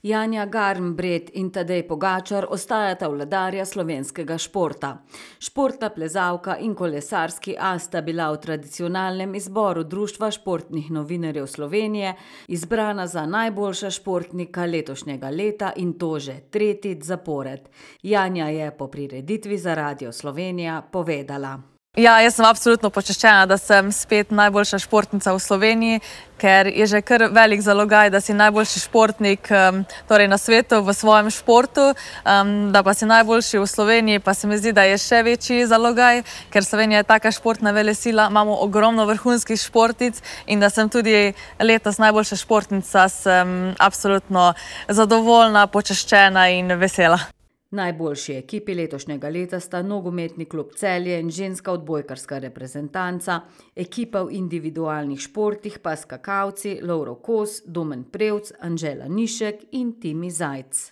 Janja Garnbret in Tadej Pogačar ostajata vladarja slovenskega športa. Športna plezalka in kolesarski as sta bila v tradicionalnem izboru Društva športnih novinarjev Slovenije izbrana za najboljša športnika letošnjega leta in to že tretjič zapored. Janja je po prireditvi za Radio Slovenija povedala: Ja, jaz sem absolutno počaščena, da sem spet najboljša športnica v Sloveniji, ker je že kar velik zalogaj, da si najboljši športnik torej na svetu v svojem športu, da pa si najboljši v Sloveniji, pa se mi zdi, da je še večji zalogaj, ker Slovenija je taka športna velesila, imamo ogromno vrhunskih športnic in da sem tudi letos najboljša športnica, sem absolutno zadovoljna, počaščena in vesela. Najboljši ekipi letošnjega leta sta nogometni klub Celje in ženska odbojkarska reprezentanca, ekipa v individualnih športih pa skakalci Lovro Kos, Domen Prevc, Anžela Nišek in Timi Zajc.